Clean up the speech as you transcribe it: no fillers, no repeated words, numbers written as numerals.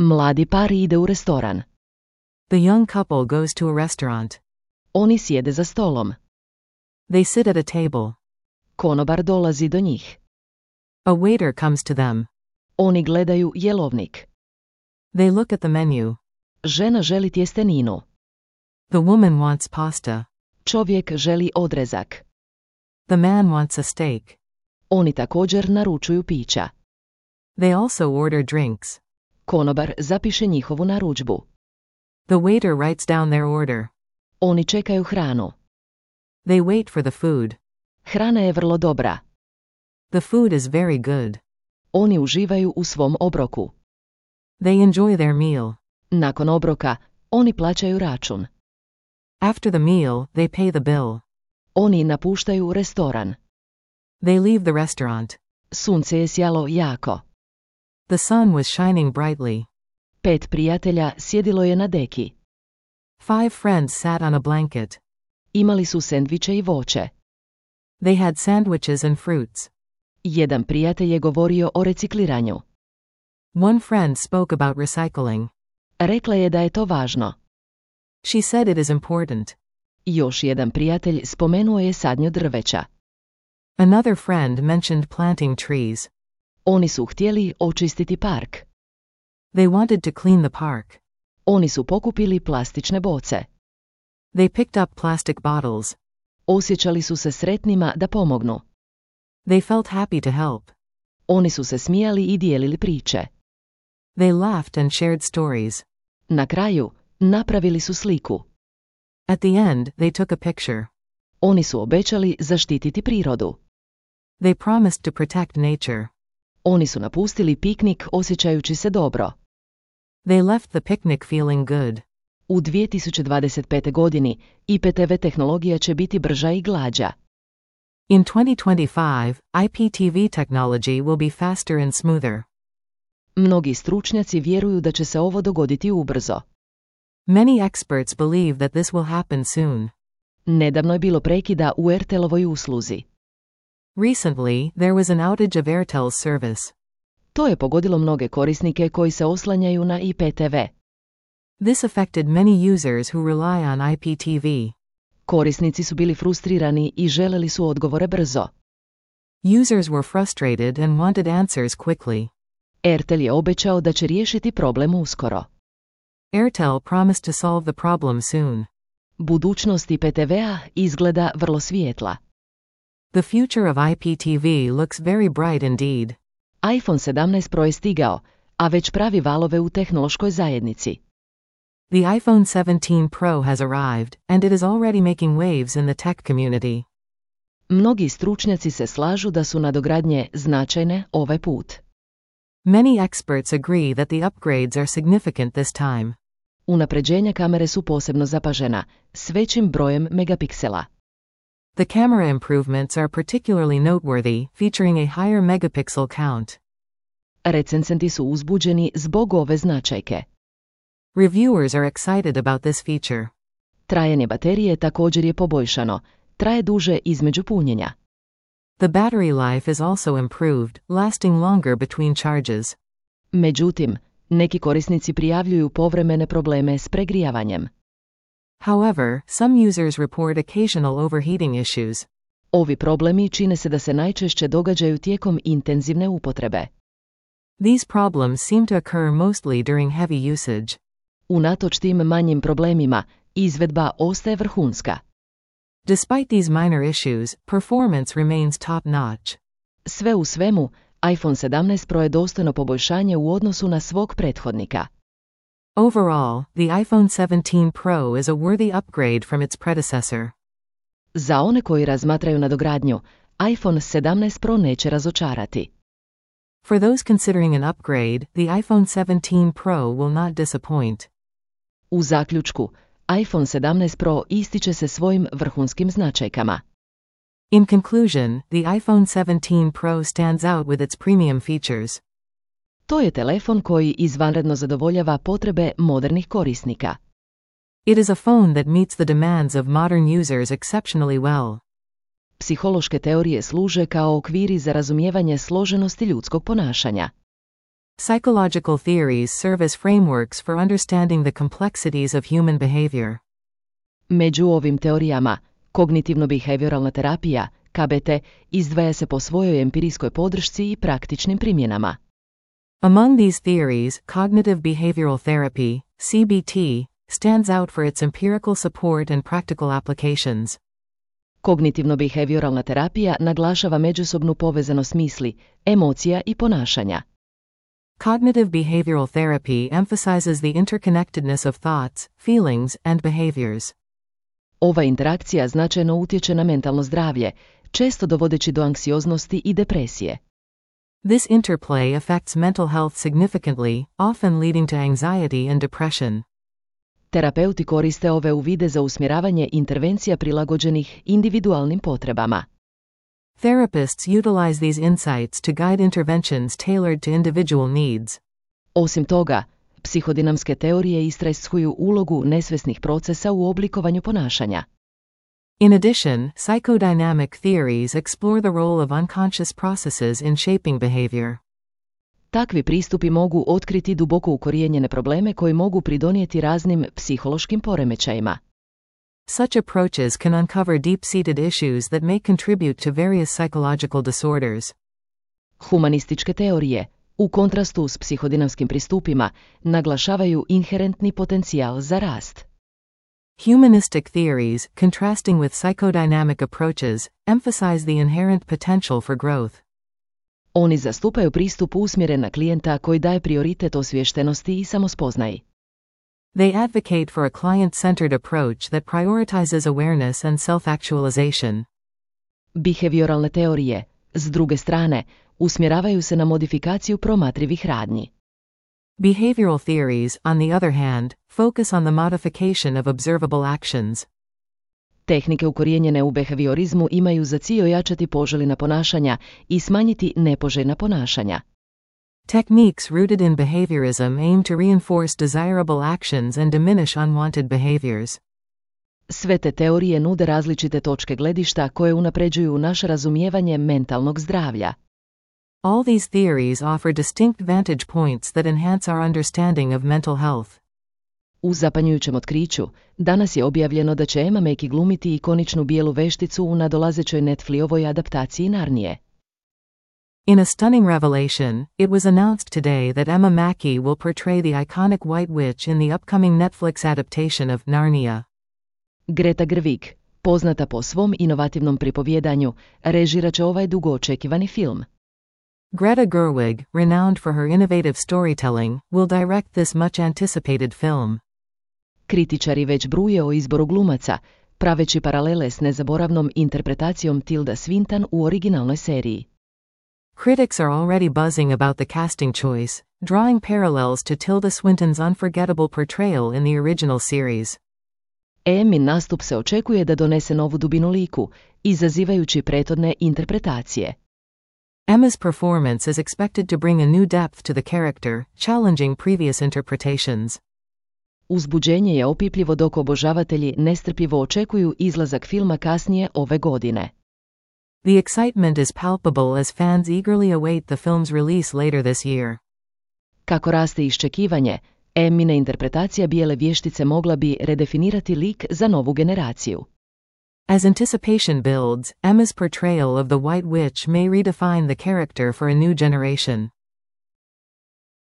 Mladi par ide u restoran. The young couple goes to a restaurant. Oni sjede za stolom. They sit at a table. Konobar dolazi do njih. A waiter comes to them. Oni gledaju jelovnik. They look at the menu. Žena želi tjesteninu. The woman wants pasta. Čovjek želi odrezak. The man wants a steak. Oni također naručuju pića. They also order drinks. Konobar zapiše njihovu narudžbu. The waiter writes down their order. Oni čekaju hranu. They wait for the food. Hrana je vrlo dobra. The food is very good. Oni uživaju u svom obroku. They enjoy their meal. Nakon obroka, oni plaćaju račun. After the meal, they pay the bill. Oni napuštaju restoran. They leave the restaurant. Sunce je sjalo jako. The sun was shining brightly. 5 prijatelja sjedilo je na deki. 5 friends sat on a blanket. Imali su sendviče i voće. They had sandwiches and fruits. Jedan prijatelj je govorio o recikliranju. One friend spoke about recycling. Rekla je da je to važno. She said it is important. Još jedan prijatelj spomenuo je sadnju drveća. Another friend mentioned planting trees. Oni su htjeli očistiti park. They wanted to clean the park. Oni su pokupili plastične boce. They picked up plastic bottles. Osjećali su se sretnima da pomognu. They felt happy to help. Oni su se smijali i dijelili priče. They laughed and shared stories. Na kraju, napravili su sliku. At the end, they took a picture. Oni su obećali zaštititi prirodu. They promised to protect nature. Oni su napustili piknik osjećajući se dobro. They left the picnic feeling good. U 2025. godini IPTV tehnologija će biti brža i glađa. In 2025, IPTV technology will be faster and smoother. Mnogi stručnjaci vjeruju da će se ovo dogoditi ubrzo. Many experts believe that this will happen soon. Nedavno je bilo prekida u Airtelovoj usluzi. Recently, there was an outage of Airtel's service. To je pogodilo mnoge korisnike koji se oslanjaju na IPTV. This affected many users who rely on IPTV. Korisnici su bili frustrirani i želeli su odgovore brzo. Users were frustrated and wanted answers quickly. Airtel je obećao da će riješiti problem uskoro. Airtel promised to solve the problem soon. Budućnost IPTV-a izgleda vrlo svijetla. The future of IPTV looks very bright indeed. iPhone 17 Pro je stigao, a već pravi valove u tehnološkoj zajednici. The iPhone 17 Pro has arrived, and it is already making waves in the tech community. Mnogi stručnjaci se slažu da su nadogradnje značajne ovaj put. Many experts agree that the upgrades are significant this time. Unapređenja kamere su posebno zapažena, s većim brojem megapiksela. The camera improvements are particularly noteworthy, featuring a higher megapixel count. Recenzenti su uzbuđeni zbog ove značajke. Reviewers are excited about this feature. Trajanje baterije također je poboljšano, traje duže između punjenja. The battery life is also improved, lasting longer between charges. Međutim, neki korisnici prijavljuju povremene probleme s pregrijavanjem. However, some users report occasional overheating issues. Ovi problemi čine se da se najčešće događaju tijekom intenzivne upotrebe. These problems seem to occur mostly during heavy usage. Unatoč tim manjim problemima, izvedba ostaje vrhunska. Despite these minor issues, performance remains top-notch. Sve u svemu, iPhone 17 Pro je dostojno poboljšanje u odnosu na svog prethodnika. Overall, the iPhone 17 Pro is a worthy upgrade from its predecessor. Za one koji razmatraju nadogradnju, iPhone 17 Pro neće razočarati. For those considering an upgrade, the iPhone 17 Pro will not disappoint. U zaključku, iPhone 17 Pro ističe se svojim vrhunskim značajkama. In conclusion, the iPhone 17 Pro stands out with its premium features. To je telefon koji izvanredno zadovoljava potrebe modernih korisnika. It is a phone that meets the demands of modern users exceptionally well. Psihološke teorije služe kao okviri za razumijevanje složenosti ljudskog ponašanja. Psychological theories serve as frameworks for understanding the complexities of human behavior. Među ovim teorijama, kognitivno-behavioralna terapija, KBT, izdvaja se po svojoj empirijskoj podršci i praktičnim primjenama. Among these theories, cognitive behavioral therapy, CBT, stands out for its empirical support and practical applications. Kognitivno-behavioralna terapija naglašava međusobnu povezanost misli, emocija i ponašanja. Cognitive behavioral therapy emphasizes the interconnectedness of thoughts, feelings, and behaviors. Ova interakcija značajno utječe na mentalno zdravlje, često dovodeći do anksioznosti i depresije. This interplay affects mental health significantly, often leading to anxiety and depression. Terapeuti koriste ove uvide za usmjeravanje intervencija prilagođenih individualnim potrebama. Therapists utilize these insights to guide interventions tailored to individual needs. Osim toga, psihodinamske teorije istražuju ulogu nesvjesnih procesa u oblikovanju ponašanja. In addition, psychodynamic theories explore the role of unconscious processes in shaping behavior. Takvi pristupi mogu otkriti duboko ukorijenjene probleme koji mogu pridonijeti raznim psihološkim poremećajima. Such approaches can uncover deep-seated issues that may contribute to various psychological disorders. Humanističke teorije, u kontrastu s psihodinamskim pristupima, naglašavaju inherentni potencijal za rast. Humanistic theories, contrasting with psychodynamic approaches, emphasize the inherent potential for growth. Oni zastupaju pristup usmjeren na klijenta koji daje prioritet osviještenosti i samospoznaji. They advocate for a client-centered approach that prioritizes awareness and self-actualization. Behavioralne teorije, s druge strane, usmjeravaju se na modifikaciju promatrivih radnji. Behavioral theories, on the other hand, focus on the modification of observable actions. Tehnike ukorijenjene u behaviorizmu imaju za cilj ojačati poželjna ponašanja i smanjiti nepoželjna ponašanja. Techniques rooted in behaviorism aim to reinforce desirable actions and diminish unwanted behaviors. Sve te teorije nude različite točke gledišta koje unapređuju naše razumijevanje mentalnog zdravlja. All these theories offer distinct vantage points that enhance our understanding of mental health. U zapanjujućem otkriću, danas je objavljeno da će Emma Mackey glumiti ikoničnu bijelu vešticu u nadolazećoj Netflixovoj adaptaciji Narnije. In a stunning revelation, it was announced today that Emma Mackey will portray the iconic White Witch in the upcoming Netflix adaptation of Narnia. Greta Gerwig, poznata po svom inovativnom pripovjedanju, režirat će ovaj dugo očekivani film. Greta Gerwig, renowned for her innovative storytelling, will direct this much anticipated film. Kritičari već bruje o izboru glumaca, praveći paralele s nezaboravnom interpretacijom Tilda Swinton u originalnoj seriji. Critics are already buzzing about the casting choice, drawing parallels to Tilda Swinton's unforgettable portrayal in the original series. Emmin nastup se očekuje da donese novu dubinu liku, izazivajući prethodne interpretacije. Emma's performance is expected to bring a new depth to the character, challenging previous interpretations. Uzbuđenje je opipljivo dok obožavatelji nestrpljivo očekuju izlazak filma kasnije ove godine. The excitement is palpable as fans eagerly await the film's release later this year. Kako raste iščekivanje, Emmina interpretacija bijele vještice mogla bi redefinirati lik za novu generaciju. As anticipation builds, Emma's portrayal of the White Witch may redefine the character for a new generation.